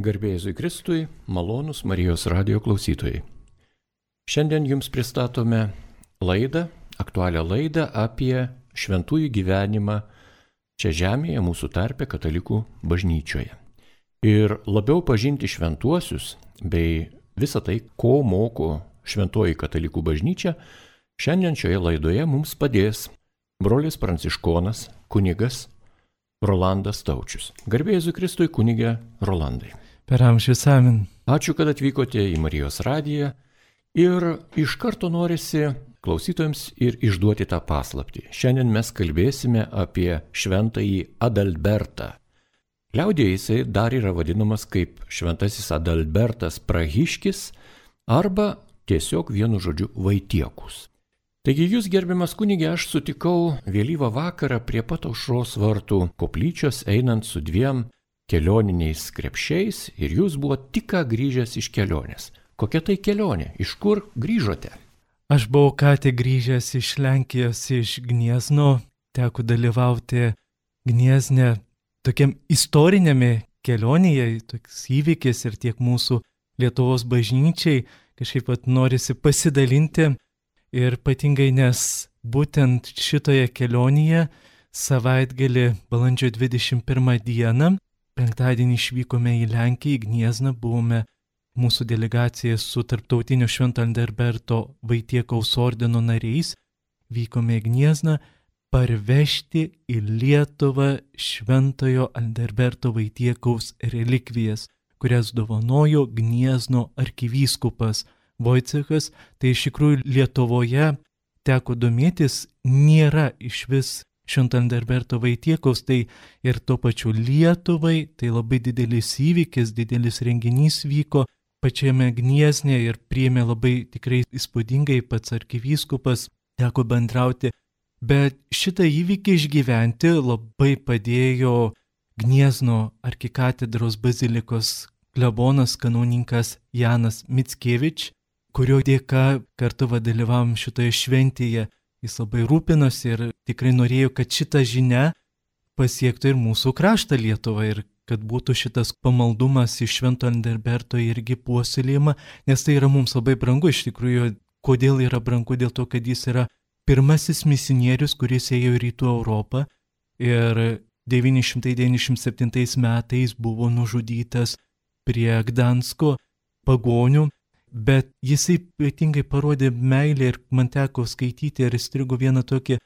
Garbė Jėzui Kristui, malonūs Marijos radijo klausytojai. Šiandien jums pristatome aktualią laidą apie šventųjų gyvenimą čia žemėje, mūsų tarpe katalikų bažnyčioje. Ir labiau pažinti šventuosius bei visą tai, ko moko šventoji katalikų bažnyčia, šiandien šioje laidoje mums padės brolis pranciškonas, kunigas Rolandas Taučius. Garbė Jėzui Kristui, kunige Rolandai. Per amžius amen. Ačiū, kad atvykote į Marijos radiją ir iš karto norisi klausytojams ir išduoti tą paslaptį. Šiandien mes kalbėsime apie šventąjį Adalbertą. Liaudėje jisai dar yra vadinamas kaip šventasis Adalbertas Prahiškis arba tiesiog vienu žodžiu Vaitiekus. Taigi jūs, gerbiamas kunige, aš sutikau vėlyvą vakarą prie pat aušros vartų koplyčios einant su dviem kelioniniais krepšiais ir jūs buvo tik ką grįžęs iš kelionės. Kokia tai kelionė? Iš kur grįžote? Aš buvau ką tik grįžęs iš Lenkijos, iš Gniezno, teko dalyvauti Gniezne tokiam istorinėme kelionėje, toks įvykis ir tiek mūsų Lietuvos bažnyčiai kažkaip pat norisi pasidalinti ir ypatingai, nes būtent šitoje kelionėje savaitgalį balandžio 21 dieną, penktadienį išvykome į Lenkiją, į Gniezną, buvome mūsų delegacija su tarptautinio Švento Adalberto Vaitiekaus ordino nariais, vykome į Gniezną parvežti į Lietuvą Šventojo Adalberto Vaitiekaus relikvijas, kurias dovanojo Gniezno arkivyskupas Vojcechas. Tai iš tikrųjų Lietuvoje teko domėtis, nėra išvis Švento Adalberto Vaitiekaus, tai ir tuo pačiu Lietuvai, tai labai didelis įvykis, didelis renginys vyko pačiame Gniezne ir priėmė labai tikrai įspūdingai pats arkivyskupas, teko bendrauti. Bet šitą įvykį išgyventi labai padėjo Gniezno arkikatedros bazilikos klebonas kanauninkas Janas Mickevič, kurio dėka kartu dalyvavom šitoje šventėje. Jis labai rūpinosi ir tikrai norėjo, kad šita žinia pasiektų ir mūsų kraštą Lietuvą ir kad būtų šitas pamaldumas iš Švento Adalberto irgi puoselėjama, nes tai yra mums labai brangu. Iš tikrųjų, kodėl yra brangu? Dėl to, kad jis yra pirmasis misionierius, kuris ėjo į Rytų Europą ir 997 metais buvo nužudytas prie Gdansko pagonių. Bet jisai ypatingai parodė meilę ir man teko skaityti ir įstrigo vieną tokį,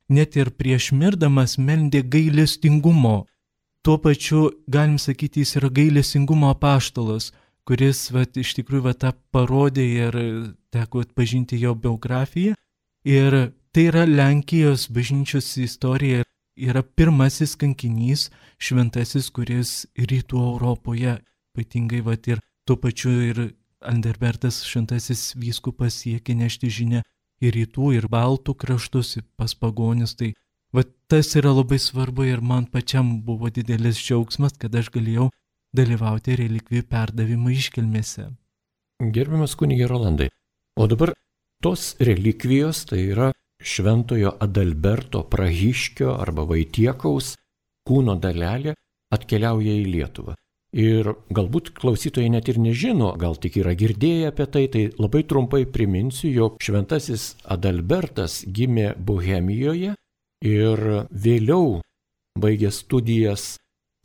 net ir prieš mirdamas meldė gailestingumo. Tuo pačiu, galim sakyti, jis yra gailestingumo apaštalas, kuris iš tikrųjų tą parodė ir teko atpažinti jo biografiją. Ir tai yra Lenkijos bažnyčios istorija, yra pirmasis kankinys, šventasis, kuris Rytų Europoje, ypatingai ir tuo pačiu ir Adalbertas šventasis vyskupas siekė nešti žinią į rytų ir baltų kraštus, pas pagonis. Tai tas yra labai svarbu ir man pačiam buvo didelis džiaugsmas, kad aš galėjau dalyvauti relikvijų perdavimo iškilmėse. Gerbiamas kunige Rolandai, o dabar tos relikvijos, tai yra Šventojo Adalberto Prahiškio arba Vaitiekaus kūno dalelė atkeliauja į Lietuvą. Ir galbūt klausytojai net ir nežino, gal tik yra girdėję apie tai, tai labai trumpai priminsiu, jog šventasis Adalbertas gimė Bohemijoje ir vėliau baigęs studijas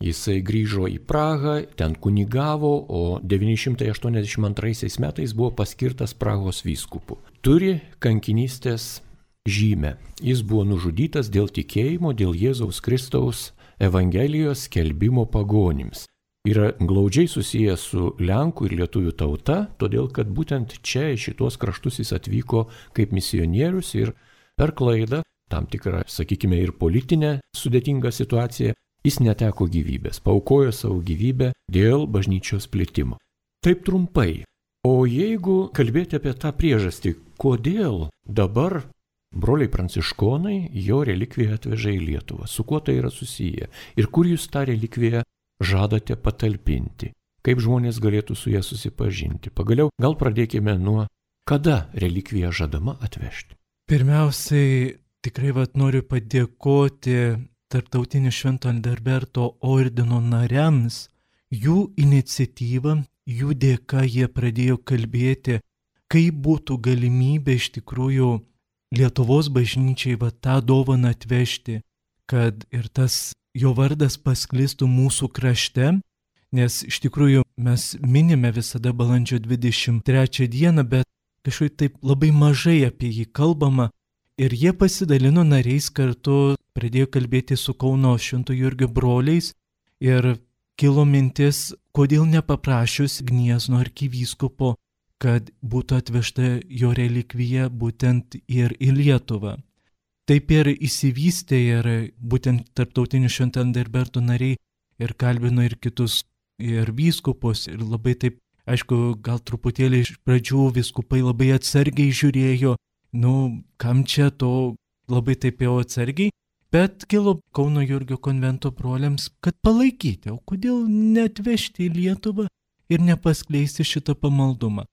jisai grįžo į Prahą, ten kunigavo, o 982 metais buvo paskirtas Prahos vyskupu. Turi kankinystės žymę. Jis buvo nužudytas dėl tikėjimo, dėl Jėzaus Kristaus Evangelijos skelbimo pagonims. Yra glaudžiai susijęs su Lenkų ir Lietuvių tauta, todėl kad būtent čia į šitos kraštus jis atvyko kaip misionierius ir per klaidą, tam tikrą, sakykime, ir politinę sudėtingą situaciją, jis neteko gyvybės, paaukojo savo gyvybę dėl bažnyčios plitimo. Taip trumpai. O jeigu kalbėti apie tą priežastį, kodėl dabar broliai pranciškonai jo relikviją atveža į Lietuvą, su kuo tai yra susiję ir kur jūs tą relikviją žadate patalpinti, kaip žmonės galėtų su ją susipažinti. Pagaliau, gal pradėkime nuo, kada relikviją žadama atvežti. Pirmiausiai, tikrai noriu padėkoti Tarptautinio Švento Adalberto ordino nariams, jų iniciatyva, jų dėka jie pradėjo kalbėti, kaip būtų galimybė iš tikrųjų Lietuvos bažnyčiai tą dovaną atvežti, kad ir tas jo vardas pasklistų mūsų krašte, nes iš tikrųjų mes minime visada balandžio 23 dieną, bet kažkaip taip labai mažai apie jį kalbama ir jie pasidalino nariais kartu, pradėjo kalbėti su Kauno Švento Jurgio broliais ir kilo mintis, kodėl nepaprašius Gniezno arkivyskupo, kad būtų atvežta jo relikvija būtent ir į Lietuvą. Taip ir įsivystė ir būtent tarptautinių Švento Adalberto nariai ir kalbino ir kitus ir vyskupus ir labai taip, aišku, gal truputėlį iš pradžių vyskupai labai atsargiai žiūrėjo, kam čia to, labai taip jau atsargiai, bet kilo Kauno Jurgio konvento broliams, kad palaikyti, o kodėl neatvežti į Lietuvą ir nepaskleisti šitą pamaldumą.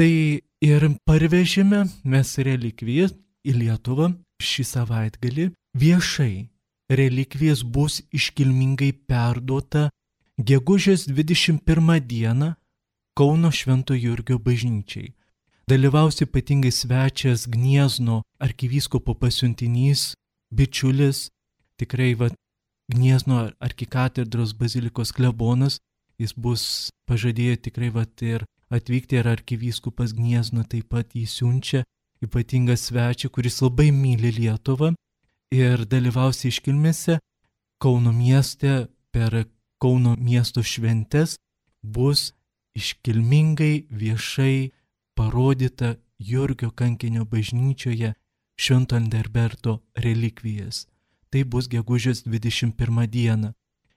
Tai ir parvežėme mes relikvijas į Lietuvą šį savaitgalį viešai. Relikvijas bus iškilmingai perduota gegužės 21 dieną Kauno Švento Jurgio bažnyčiai. Dalyvaus ypatingai svečias Gniezno arkivyskupo pasiuntinys, bičiulis, tikrai Gniezno arkikatedros bazilikos klebonas, jis bus pažadėję tikrai ir atvykti ir arkivyskupas Gniezno taip pat jį siunčia, ypatingą svečią, kuris labai myli Lietuvą ir dalyvaus iškilmėse Kauno mieste per Kauno miesto šventes bus iškilmingai viešai parodyta Jurgio kankinio bažnyčioje Švento Adalberto relikvijas. Tai bus gegužės 21 dieną.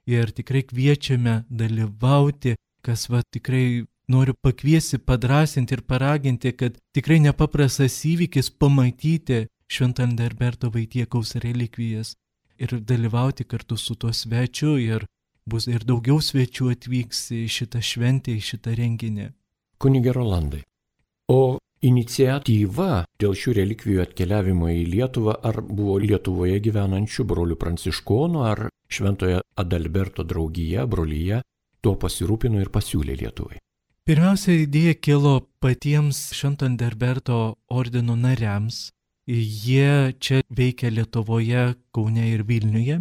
Ir tikrai kviečiame dalyvauti, kas tikrai noriu pakviesti, padrasinti ir paraginti, kad tikrai nepaprastas įvykis pamatyti Švento Adalberto Vaitiekaus relikvijas ir dalyvauti kartu su tuo svečiu ir bus ir daugiau svečių atvyks į šitą šventę, į šitą renginį. Kunige Rolandai, o iniciatyva dėl šių relikvijų atkeliavimo į Lietuvą ar buvo Lietuvoje gyvenančių brolių pranciškonų, ar Šventojo Adalberto draugija, brolyje tuo pasirūpino ir pasiūlė Lietuvai? Pirmiausia, idėja kilo patiems Švento Adalberto ordino nariams. Jie čia veikia Lietuvoje, Kaune ir Vilniuje.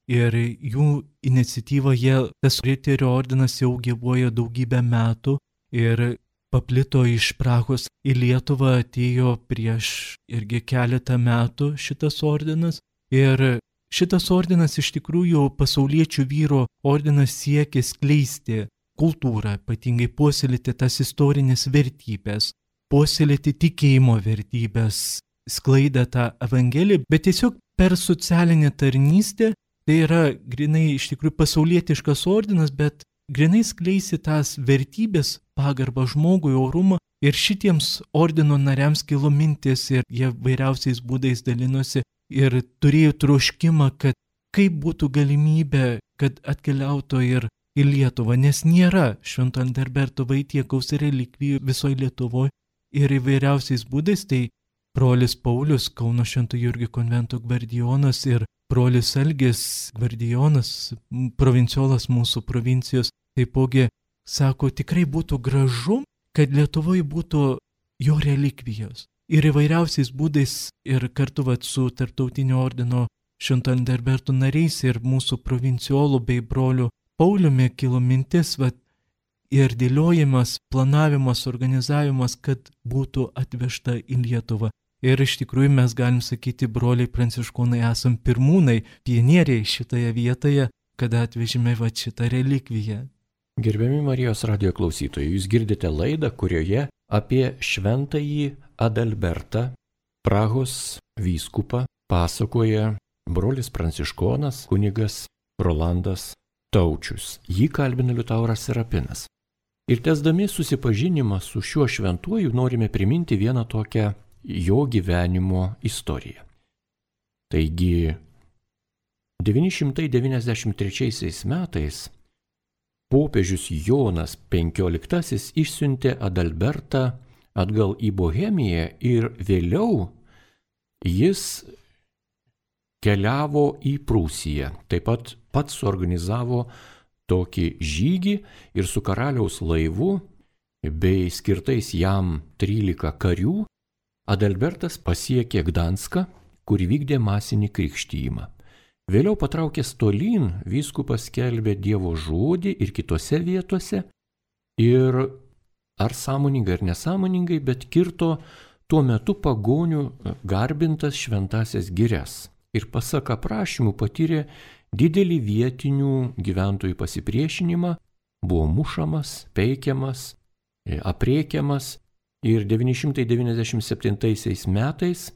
Ir jų iniciatyvoje tas riterio ordinas jau gyvuoja daugybę metų ir paplito iš Prahos į Lietuvą, atėjo prieš irgi keletą metų šitas ordinas. Ir šitas ordinas iš tikrųjų pasauliečių vyro ordinas siekia skleisti kultūrą, ypatingai puoselėti tas istorinės vertybės, puoselėti tikėjimo vertybės, sklaidą tą evangeliją, bet tiesiog per socialinę tarnystę. Tai yra grinai iš tikrųjų pasaulietiškas ordinas, bet grinai skleisi tas vertybės, pagarbą žmogui, orumą. Ir šitiems ordino nariams kilo mintis ir jie vairiausiais būdais dalinosi ir turėjo troškimą, kad kaip būtų galimybė, kad atkeliautų ir į Lietuvą, nes nėra Švento Adalberto Vaitiekaus relikvijų visoje Lietuvoje ir įvairiausiais būdais. Tai brolis Paulius, Kauno Švento Jurgio konvento gvardijonas ir brolis Algis gvardijonas, provinciolas mūsų provincijos, taipogi sako, tikrai būtų gražu, kad Lietuvoje būtų jo relikvijos. Ir įvairiausiais būdais ir kartu su tarptautinio ordino Švento Adalberto nariais ir mūsų provinciolų bei brolių Pauliumi kilo mintis, ir dėliojimas, planavimas, organizavimas, kad būtų atvežta į Lietuvą. Ir iš tikrųjų mes galim sakyti, broliai pranciškonai esam pirmūnai, pionieriai šitoje vietoje, kada atvežime šitą relikviją. Gerbiami Marijos radijo klausytojai, jūs girdite laidą, kurioje apie Šventąjį Adalbertą, Prahos vyskupą, pasakoja brolis pranciškonas kunigas Rolandas Taučius. Jį kalbina Liutauras Serapinas. Ir tęsdami susipažinimą su šiuo šventuoju norime priminti vieną tokią jo gyvenimo istoriją. Taigi, 993 metais popiežius Jonas XV išsiuntė Adalbertą atgal į Bohemiją ir vėliau jis keliavo į Prūsiją. Taip pat pats suorganizavo tokį žygį ir su karaliaus laivu bei skirtais jam 13 karių Adalbertas pasiekė Gdanską, kur vykdė masinį krikštyjimą. Vėliau patraukęs tolyn, vyskupas skelbė Dievo žodį ir kitose vietose ir ar sąmoningai ar nesąmoningai, bet kirto tuo metu pagonių garbintas šventasias girias ir pasak aprašymų patyrė didelį vietinių gyventojų pasipriešinimą, buvo mušamas, peikiamas, aprėkiamas ir 997 metais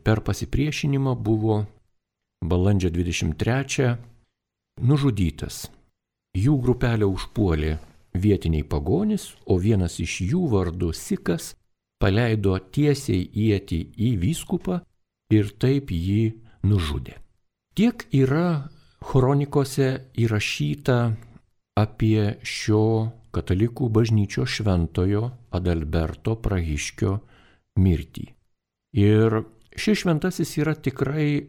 per pasipriešinimą buvo balandžio 23 nužudytas. Jų grupelę užpuolė vietiniai pagonys, o vienas iš jų vardu Sikas paleido tiesiai ietį į vyskupą ir taip jį nužudė. Tiek yra kronikose įrašyta apie šio katalikų bažnyčios šventojo Adalberto Prahiškio mirtį. Ir šis šventasis yra tikrai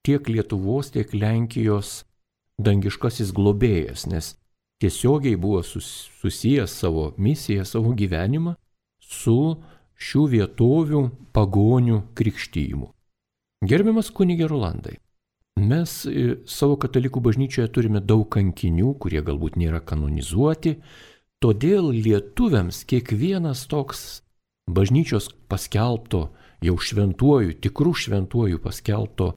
tiek Lietuvos, tiek Lenkijos dangiškasis globėjas, nes tiesiogiai buvo susijęs savo misiją, savo gyvenimą su šių vietovių pagonių krikštyjimu. Gerbiamas kunige Rolandai, mes savo katalikų bažnyčioje turime daug kankinių, kurie galbūt nėra kanonizuoti, todėl lietuviams kiekvienas toks bažnyčios paskelbto, jau šventuoju, tikrų šventuoju paskelbto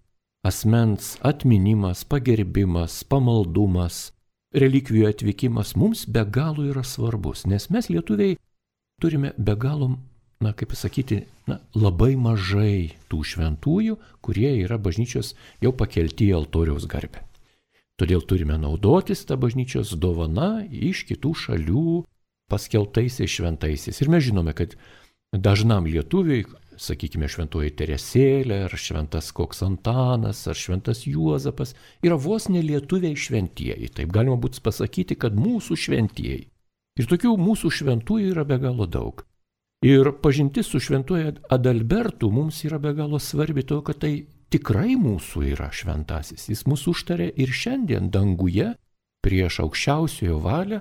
asmens atminimas, pagerbimas, pamaldumas, relikvijų atvykimas mums be galo yra svarbus, nes mes lietuviai turime be galo, labai mažai tų šventųjų, kurie yra bažnyčios jau pakelti į altoriaus garbę. Todėl turime naudotis tą bažnyčios dovana iš kitų šalių paskelbtaisiais šventaisiais. Ir mes žinome, kad dažnam lietuviui, sakykime, šventoji Teresėlė, ar šventas koks Antanas, ar šventas Juozapas, yra vos ne lietuviai šventieji. Taip galima būtų pasakyti, kad mūsų šventieji. Ir tokių mūsų šventųjų yra be galo daug. Ir pažintis su šventuoju Adalbertu mums yra be galo svarbi, todėl kad tai tikrai mūsų yra šventasis. Jis mūsų užtarė ir šiandien danguje prieš aukščiausiojo valią,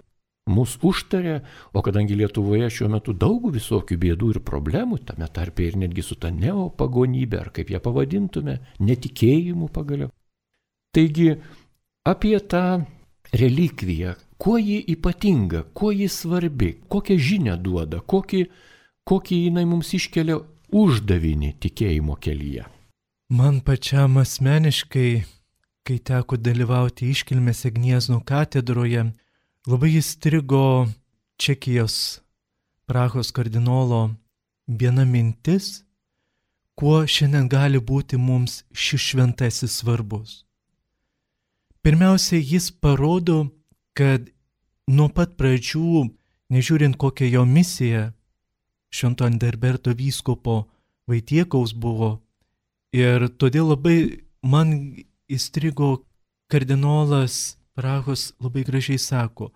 mūsų užtarė, o kadangi Lietuvoje šiuo metu daug visokių bėdų ir problemų, tame tarpe ir netgi su ta neopagonybė, ar kaip ją pavadintume, netikėjimu pagaliau. Taigi apie tą relikviją, kuo ji ypatinga, kuo ji svarbi, kokią žinią duoda, kokį jinai mums iškelia uždavinį tikėjimo kelyje. Man pačiam asmeniškai, kai teko dalyvauti iškilmėse Gniezno katedroje, labai įstrigo Čekijos Prahos kardinolo viena mintis, kuo šiandien gali būti mums šis šventasis svarbus. Pirmiausia, jis parodo, kad nuo pat pradžių, nežiūrint kokią jo misiją, Švento Adalberto vyskupo Vaitiekaus buvo, ir todėl labai man įstrigo kardinolas Prahos labai gražiai sako,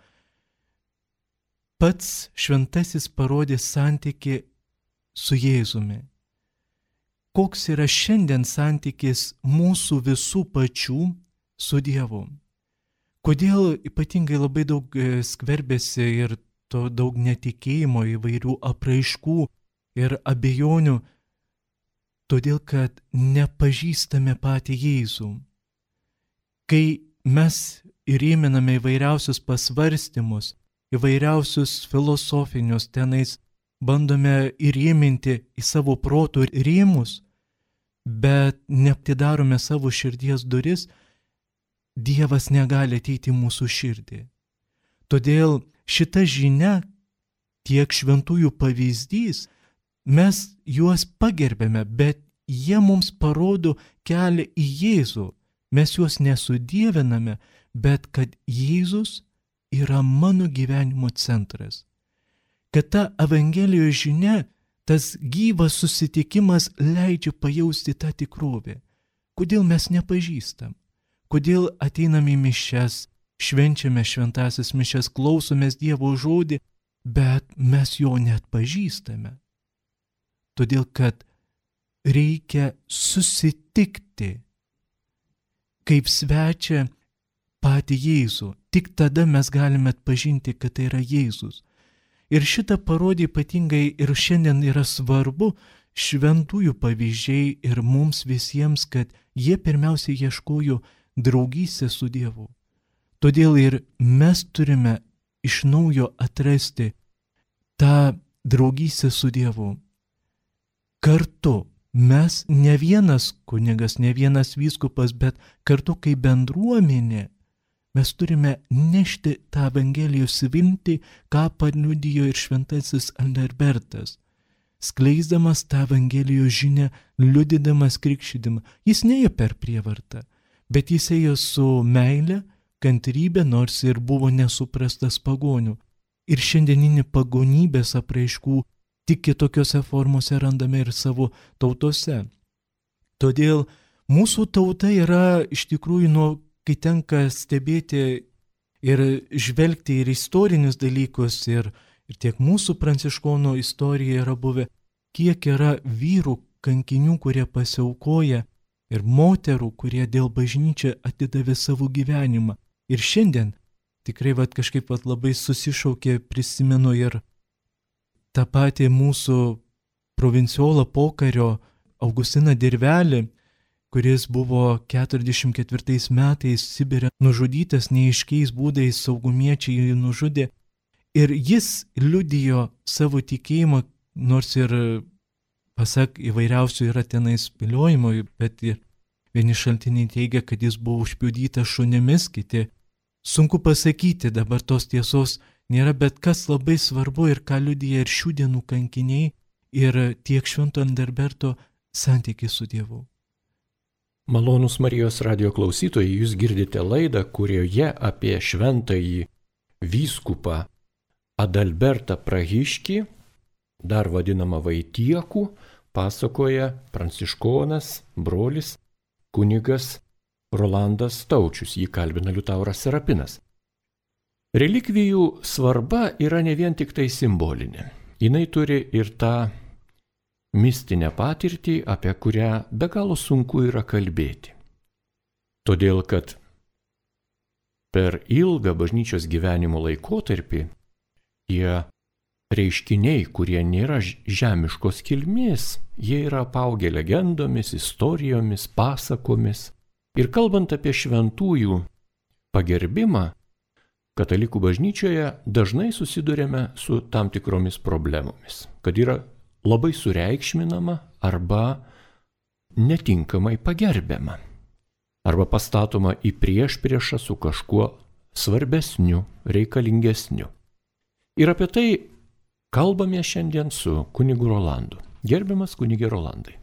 pats šventasis parodė santykį su Jėzumi. Koks yra šiandien santykis mūsų visų pačių su Dievu? Kodėl ypatingai labai daug skverbėsi ir to daug netikėjimo, įvairių apraiškų ir abejonių? Todėl, kad nepažįstame patį Jėzų. Kai mes įrėminame įvairiausius pasvarstymus, įvairiausius filosofinius tenais, bandome įrėminti į savo proto rėmus, bet neaptidarome savo širdies duris, Dievas negali ateiti į mūsų širdį. Todėl šita žinia, tiek šventųjų pavyzdys, mes juos pagerbėme, bet jie mums parodo kelią į Jėzų. Mes juos nesudieviname, bet kad Jėzus yra mano gyvenimo centras. Kad ta Evangelijos žinia, tas gyvas susitikimas leidžia pajausti tą tikrovę. Kodėl mes nepažįstam? Kodėl ateiname į mišias, švenčiame šventąsias mišias, klausomės Dievo žodį, bet mes jo net pažįstame. Todėl, kad reikia susitikti kaip svečia patį Jėzų. Tik tada mes galime atpažinti, kad tai yra Jėzus. Ir šitą parodė ypatingai ir šiandien yra svarbu šventųjų pavyzdžiai ir mums visiems, kad jie pirmiausiai ieškojo draugystės su Dievu. Todėl ir mes turime iš naujo atrasti tą draugystę su Dievu. Kartu mes ne vienas kunigas, ne vienas vyskupas, bet kartu kaip bendruomenė mes turime nešti tą Evangelijos viltį, ką paliudijo ir šventasis Adalbertas. Skleisdamas tą Evangelijos žinią, liudydamas krikštydama, jis neėjo per prievartą, bet jis ėjo su meile, kantrybė, nors ir buvo nesuprastas pagonių. Ir šiandieninį pagonybės apraiškų tik kitokiose formose randame ir savo tautose. Todėl mūsų tauta yra iš tikrųjų, kai tenka stebėti ir žvelgti ir istorinius dalykus, ir tiek mūsų pranciškonų istorija yra buvę, kiek yra vyrų kankinių, kurie pasiaukoja, ir moterų, kurie dėl bažnyčią atidavė savo gyvenimą. Ir šiandien tikrai kažkaip labai susišaukė, prisimenu ir tą patį mūsų provinciolą pokario Augustiną Dirvelį, kuris buvo 44 metais Sibire nužudytas, neaiškiais būdais saugumiečiai jį nužudė. Ir jis liudijo savo tikėjimą, nors ir, pasak įvairiausių yra tenais spėliojimų, bet vieni šaltiniai teigia, kad jis buvo užpjudytas šunimis, kiti. Sunku pasakyti, dabar tos tiesos nėra, bet kas labai svarbu ir ką liudija ir šių dienų kankiniai, ir tiek švento Adalberto santykis su Dievu. Malonūs Marijos radijo klausytojai, jūs girdite laidą, kurioje apie šventąjį vyskupą Adalbertą Prahiškį, dar vadinamą Vaitiekų, pasakoja pranciškonas, brolis, kunigas Rolandas Taučius, jį kalbina Liutauras Serapinas. Relikvijų svarba yra ne vien tik tai simbolinė. Jinai turi ir tą mistinę patirtį, apie kurią be galo sunku yra kalbėti. Todėl, kad per ilgą bažnyčios gyvenimo laikotarpį tie reiškiniai, kurie nėra žemiškos kilmės, jie yra apaugę legendomis, istorijomis, pasakomis. Ir kalbant apie šventųjų pagerbimą, katalikų bažnyčioje dažnai susidurėme su tam tikromis problemomis, kad yra labai sureikšminama arba netinkamai pagerbiama, arba pastatoma į priešpriešą su kažkuo svarbesniu, reikalingesniu. Ir apie tai kalbame šiandien su kunigu Rolandu. Gerbiamas kunige Rolandai.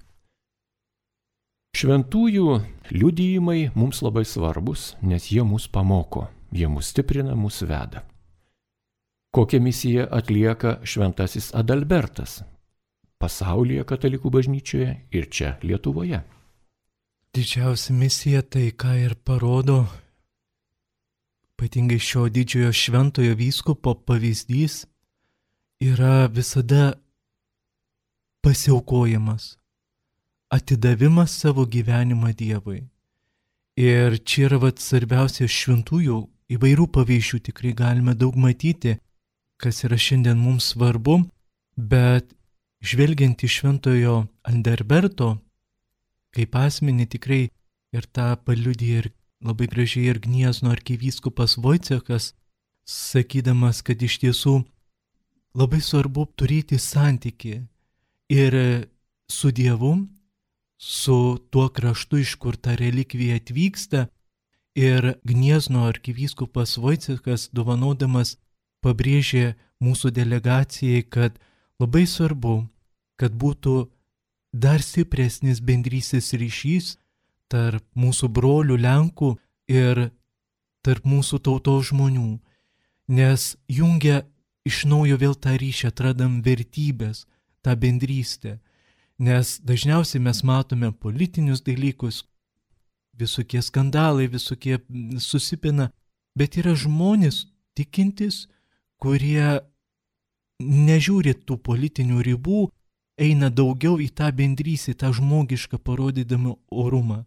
Šventųjų liudijimai mums labai svarbus, nes jie mus pamoko, jie mus stiprina, mus veda. Kokią misiją atlieka šventasis Adalbertas pasaulyje katalikų bažnyčioje ir čia Lietuvoje? Didžiausia misija tai, ką ir parodo ypatingai šio didžiojo šventojo vyskupo pavyzdys, yra visada pasiaukojimas, atidavimas savo gyvenimą Dievui. Ir čia yra svarbiausia šventųjų įvairių pavyzdžių, tikrai galime daug matyti, kas yra šiandien mums svarbu, bet žvelgiant į šventojo Adalberto, kaip asmenį tikrai ir tą paliudija ir labai gražiai ir Gniezno arkivyskupas Vojcekas, sakydamas, kad iš tiesų labai svarbu turėti santykį ir su Dievu, su tuo kraštu, iš kur ta relikvija atvyksta, ir Gniezno arkivyskupas Vojcekas dovanodamas pabrėžė mūsų delegacijai, kad labai svarbu, kad būtų dar stipresnis bendrystės ryšys tarp mūsų brolių Lenkų ir tarp mūsų tautos žmonių, nes jungia iš naujo vėl tą ryšį, atradam vertybės, tą bendrystę, nes dažniausiai mes matome politinius dalykus, visokie skandalai, visokie susipina, bet yra žmonės tikintis, kurie nežiūri tų politinių ribų, eina daugiau į tą bendrystę, tą žmogišką parodydami orumą.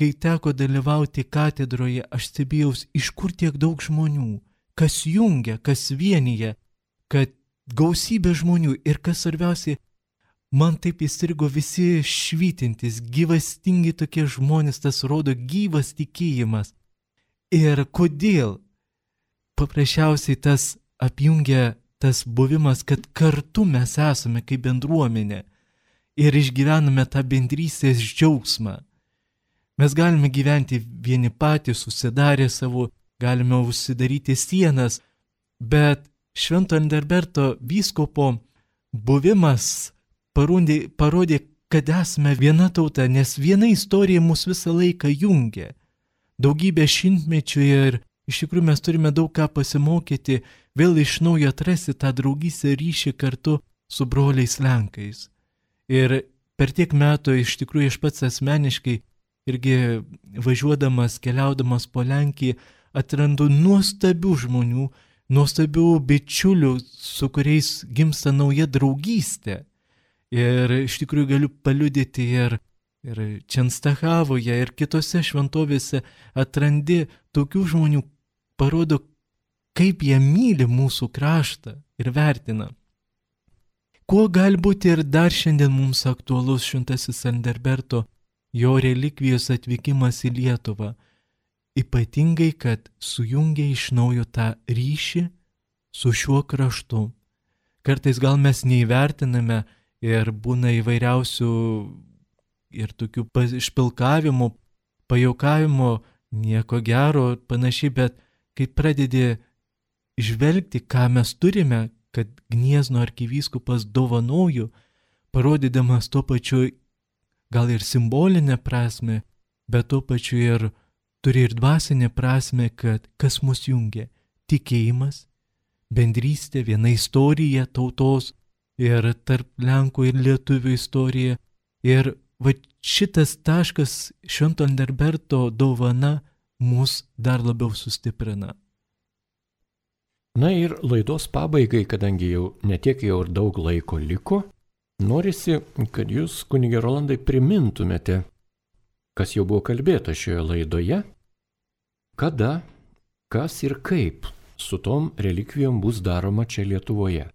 kai teko dalyvauti katedroje, aš stebėjaus, iš kur tiek daug žmonių, kas jungia, kas vienyje, kad gausybė žmonių ir kas svarbiausia, man taip įstrigo visi švytintis, gyvastingi tokie žmonės, tas rodo gyvas tikėjimas. Ir kodėl? Paprasčiausiai tas apjungia tas buvimas, kad kartu mes esame kaip bendruomenė ir išgyvename tą bendrystės džiaugsmą. Mes galime gyventi vieni patys, susidarę savo, galime užsidaryti sienas, bet Švento Adalberto vyskupo buvimas parodė, kad esame viena tauta, nes viena istorija mus visą laiką jungia. Daugybę šimtmečių ir iš tikrųjų mes turime daug ką pasimokyti, vėl iš naujo atrasti tą draugystę ryšį kartu su broliais Lenkais. Ir per tiek metų iš tikrųjų aš pats asmeniškai irgi važiuodamas, keliaudamas po Lenkiją, atrandu nuostabių žmonių, nuostabių bičiulių, su kuriais gimsta nauja draugystė. Ir iš tikrųjų galiu paliudyti ir Čenstachavoje, ir kitose šventovėse atrandi tokių žmonių, parodo, kaip jie myli mūsų kraštą ir vertina. Kuo gali būti ir dar šiandien mums aktualus Šventasis Adalberto, jo relikvijos atvykimas į Lietuvą, ypatingai, kad sujungia iš naujo tą ryšį su šiuo kraštu. Kartais gal mes neįvertiname ir būna įvairiausių ir tokių išpilkavimų, pajuokavimo, nieko gero ir panašiai, bet kai pradedi žvelgti, ką mes turime, kad Gniezno arkivyskupas dovanojo, parodydamas tuo pačiu gal ir simbolinę prasme, bet tuo pačiu ir turi ir dvasinę prasme, kad kas mus jungia - tikėjimas, bendrystė, viena istorija tautos ir tarp Lenkų ir Lietuvių istorija. Ir va šitas taškas Švento Adalberto dovana mus dar labiau sustiprina. Na ir laidos pabaigai, kadangi jau netiek jau ir daug laiko liko, norisi, kad jūs, kunige Rolandai, primintumėte, kas jau buvo kalbėta šioje laidoje, kada, kas ir kaip su tom relikvijom bus daroma čia Lietuvoje.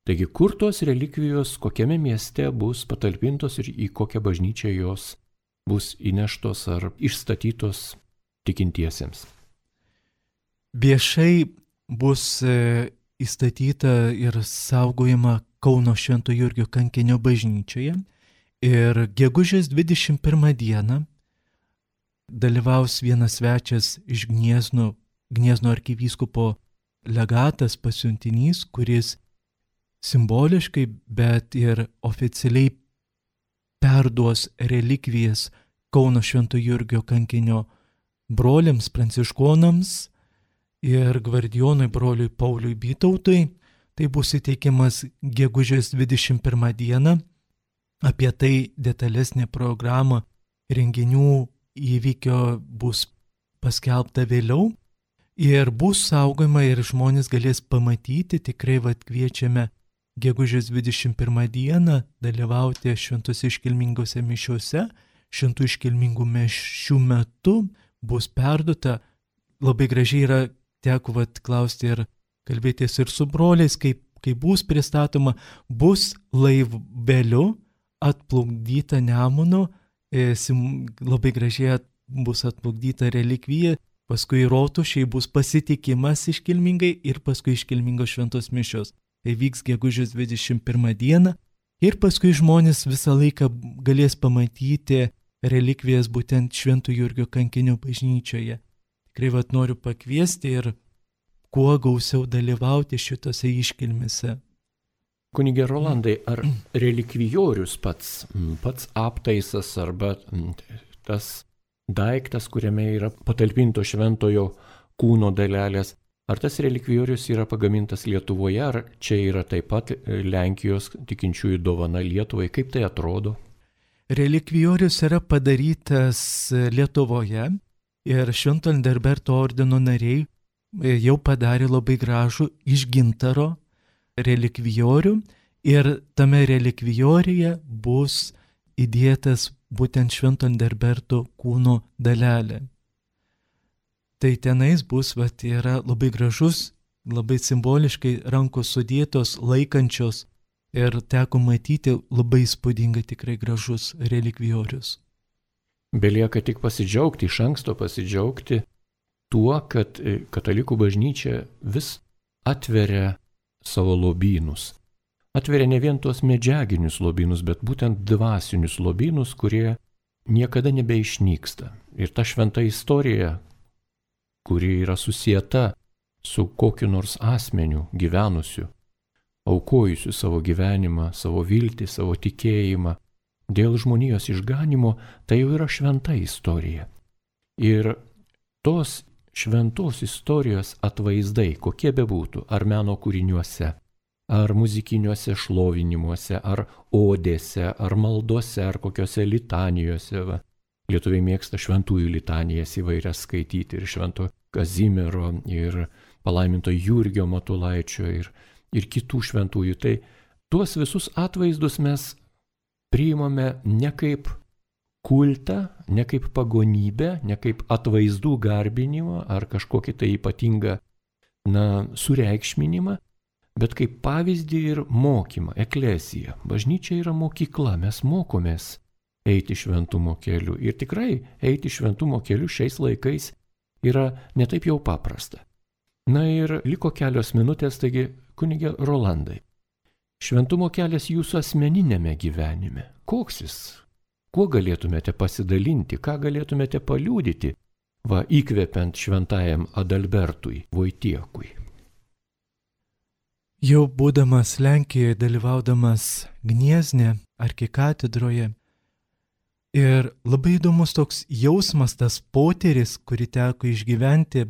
Taigi, kur tos relikvijos, kokiame mieste bus patalpintos ir į kokią bažnyčią jos bus įneštos ar išstatytos tikintiesiems. Viešai bus įstatyta ir saugojama Kauno Švento Jurgio kankinio bažnyčioje ir gegužės 21 dieną dalyvaus vienas svečias iš Gniezno arkivyskupo legatas, pasiuntinys, kuris simboliškai, bet ir oficialiai perduos relikvijas Kauno Švento Jurgio kankinio broliams pranciškonams ir gvardijonui broliui Pauliui Bytautui. Tai bus įteikimas gegužės 21 dieną. Apie tai detalesnė programa renginių įvykio bus paskelbta vėliau. Ir bus saugojama ir žmonės galės pamatyti, tikrai kviečiame gegužės 21 dieną dalyvauti šventos iškilmingose mišiuose. Šventų iškilmingų mišių metu bus perduota, labai gražiai yra, teko klausti ir kalbėtis ir su broliais, kai bus pristatoma, bus laiveliu atplukdyta Nemuno, labai gražiai bus atplukdyta relikvija, paskui rotušėj bus pasitikimas iškilmingai ir paskui iškilmingos šventos mišios. Tai vyks gegužės 21 dieną ir paskui žmonės visą laiką galės pamatyti relikvijas būtent Švento Jurgio kankinio bažnyčioje. Tikrai noriu pakviesti ir kuo gausiau dalyvauti šitose iškilmėse. Kunige Rolandai, ar relikvijorius pats aptaisas arba tas daiktas, kuriame yra patalpinto šventojo kūno dalelės, ar tas relikvijorius yra pagamintas Lietuvoje, ar čia yra taip pat Lenkijos tikinčiųjų dovana Lietuvai? Kaip tai atrodo? Relikvijorius yra padarytas Lietuvoje ir Švento Adalberto ordino nariai jau padarė labai gražų iš gintaro relikvijorių ir tame relikvijoriuje bus įdėtas būtent Švento Adalberto kūno dalelė. Tai tenais bus, yra labai gražus, labai simboliškai rankos sudėtos, laikančios ir teko matyti labai įspūdingai, tikrai gražus relikvijorius. Belieka tik pasidžiaugti, iš anksto pasidžiaugti tuo, kad katalikų bažnyčia vis atveria savo lobynus. Atveria ne vien tuos medžiaginius lobynus, bet būtent dvasinius lobynus, kurie niekada nebeišnyksta. Ir ta šventa istorija, kuri yra susieta su kokiu nors asmeniu gyvenusiu, aukojusiu savo gyvenimą, savo viltį, savo tikėjimą, dėl žmonijos išganimo, tai jau yra šventa istorija. Ir tos šventos istorijos atvaizdai, kokie bebūtų, ar meno kūriniuose, ar muzikiniuose šlovinimuose, ar odėse, ar maldose, ar kokiuose litanijose. Lietuviai mėgsta šventųjų litanijas įvairias skaityti, ir švento Kazimiero, ir palaiminto Jurgio Matulaičio, ir kitų šventųjų. Tai tuos visus atvaizdus mes priimame ne kaip kultą, ne kaip pagonybę, ne kaip atvaizdų garbinimą ar kažkokį tai ypatingą sureikšminimą, bet kaip pavyzdį ir mokymą, eklezija. Bažnyčia yra mokykla, mes mokomės eiti šventumo keliu. Ir tikrai eiti šventumo keliu šiais laikais yra netaip jau paprasta. Ir liko kelios minutės, taigi kunige Rolandai, šventumo kelias jūsų asmeninėme gyvenime. Koks jis? Kuo galėtumėte pasidalinti, ką galėtumėte paliudyti, įkvepiant šventajam Adalbertui Voitiekui? Jau būdamas Lenkijoje, dalyvaudamas Gniezne arkikatedroje, ir labai įdomus toks jausmas, tas potyris, kurį teko išgyventi,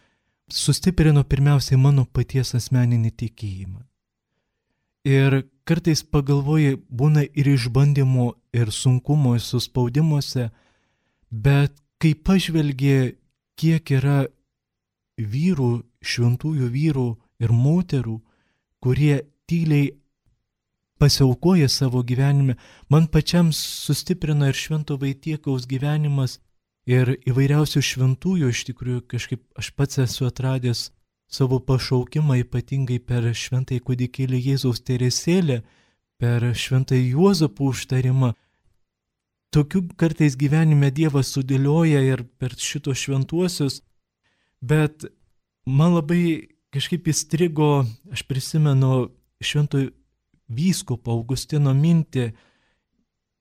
sustiprino pirmiausiai mano paties asmeninį tikėjimą. Ir kartais pagalvoji, būna ir išbandymų, ir sunkumų, ir suspaudimuose, bet kai pažvelgi, kiek yra vyrų, šventųjų vyrų ir moterų, kurie tyliai pasiaukoja savo gyvenime, man pačiam sustiprino ir Švento Vaitiekaus gyvenimas, ir įvairiausių šventųjų. Iš tikrųjų, kažkaip aš pats esu atradęs savo pašaukimą, ypatingai per Šventąjį kūdikėlį Jėzaus Teresėlę, per Šventąjį Juozapų užtarimą. Tokių kartais gyvenime Dievas sudėlioja ir per šitos šventuosius, bet man labai kažkaip įstrigo, aš prisimenu Šventojo vyskupo Augustino mintį,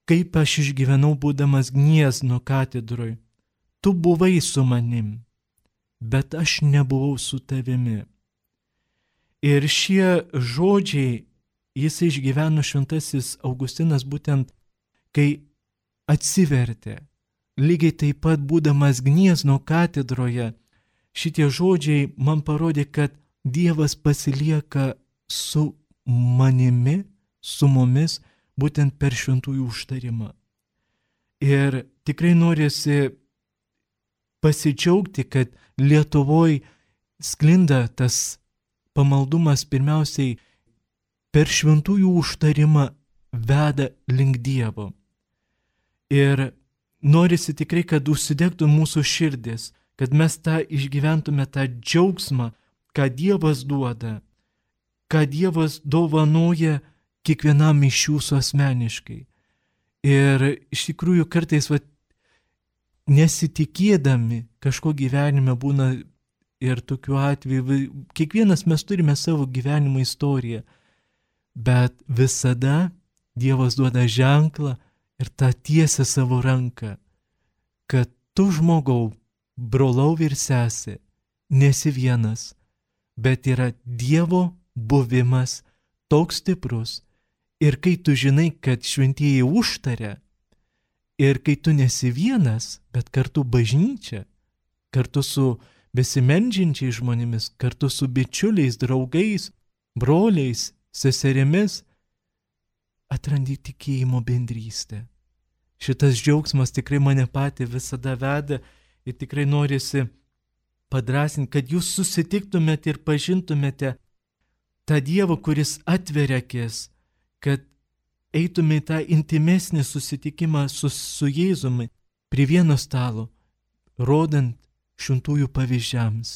kaip aš išgyvenau būdamas Gniezno katedroj. Tu buvai su manim, bet aš nebuvau su tavimi. Ir šie žodžiai jis išgyveno šventasis Augustinas būtent, kai atsivertė. Lygiai taip pat būdamas Gniezno katedroje, šitie žodžiai man parodė, kad Dievas pasilieka su manimi, su mumis, būtent per šventųjų užtarimą. Ir tikrai norisi pasidžiaugti, kad Lietuvoje sklinda tas pamaldumas pirmiausiai per šventųjų užtarimą veda link Dievo. Ir norisi tikrai, kad užsidegtų mūsų širdis, kad mes tą išgyventume tą džiaugsmą, ką Dievas duoda, ką Dievas dovanoja kiekvienam iš jūsų asmeniškai. Ir iš tikrųjų kartais nesitikėdami kažko gyvenime būna ir tokiu atveju, kiekvienas mes turime savo gyvenimo istoriją, bet visada Dievas duoda ženklą ir tą tiesia savo ranką, kad tu žmogau, brolau ir sesė, nesi vienas, bet yra Dievo buvimas toks stiprus. Ir kai tu žinai, kad šventieji užtaria, ir kai tu nesi vienas, bet kartu bažnyčia, kartu su besimeldžiančiais žmonėmis, kartu su bičiuliais, draugais, broliais, seserimis, atrandi tikėjimo bendrystę. Šitas džiaugsmas tikrai mane patį visada veda ir tikrai norisi padrasinti, kad jūs susitiktumėte ir pažintumėte tą Dievą, kuris atveria akis, kad eitume į tą intimesnį susitikimą su Jėzumi prie vieno stalo, rodant šventųjų pavyzdžiams.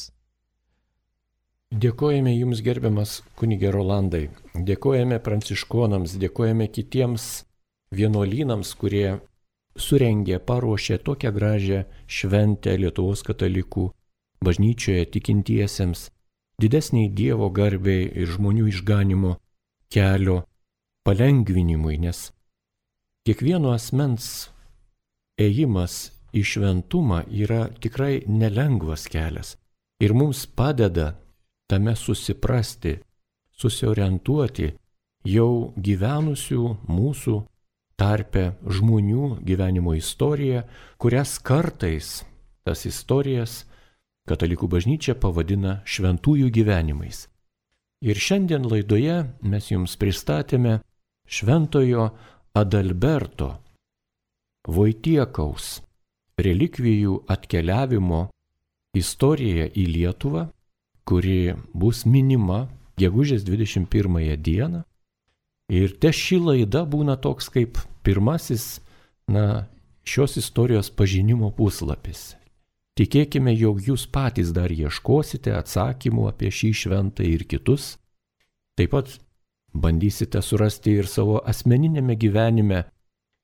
Dėkojame Jums, gerbiamas kunige Rolandai, dėkojame pranciškonams, dėkojame kitiems vienuolynams, kurie surengė, paruošė tokią gražią šventę Lietuvos katalikų bažnyčioje tikintiesiems, didesniai Dievo garbei ir žmonių išganimo kelio palengvinimui, nes kiekvieno asmens ėjimas į šventumą yra tikrai nelengvas kelias ir mums padeda tame susiprasti, susiorientuoti jau gyvenusių mūsų tarpe žmonių gyvenimo istoriją, kurias kartais tas istorijas Katalikų bažnyčia pavadina šventųjų gyvenimais. Ir šiandien laidoje mes jums pristatėme šventojo Adalberto Voitiekaus relikvijų atkeliavimo istoriją į Lietuvą, kuri bus minima gegužės 21 dieną. Ir ši laida būna toks kaip pirmasis, šios istorijos pažinimo puslapis. Tikėkime, jog jūs patys dar ieškosite atsakymų apie šį šventą ir kitus. Taip pat bandysite surasti ir savo asmeninėme gyvenime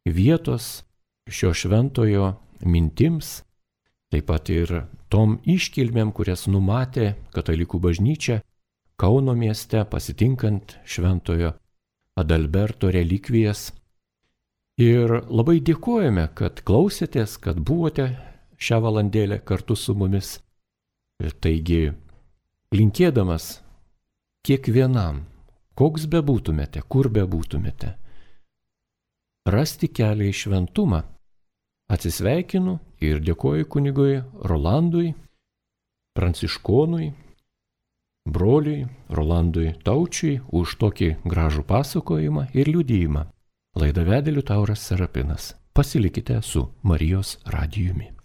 vietos šio šventojo mintims, taip pat ir tom iškilmėm, kurias numatė Katalikų bažnyčia Kauno mieste pasitinkant šventojo Adalberto relikvijas. Ir labai dėkojame, kad klausėtės, kad buvote šią valandėlę kartu su mumis. Ir taigi, linkėdamas kiekvienam, koks bebūtumėte, kur bebūtumėte, rasti kelią į šventumą, atsisveikinu ir dėkoju kunigui Rolandui, pranciškonui, broliui Rolandui Taučiui už tokį gražų pasakojimą ir liudijimą. Laidą vedė Liutauras Serapinas. Pasilikite su Marijos radijumi.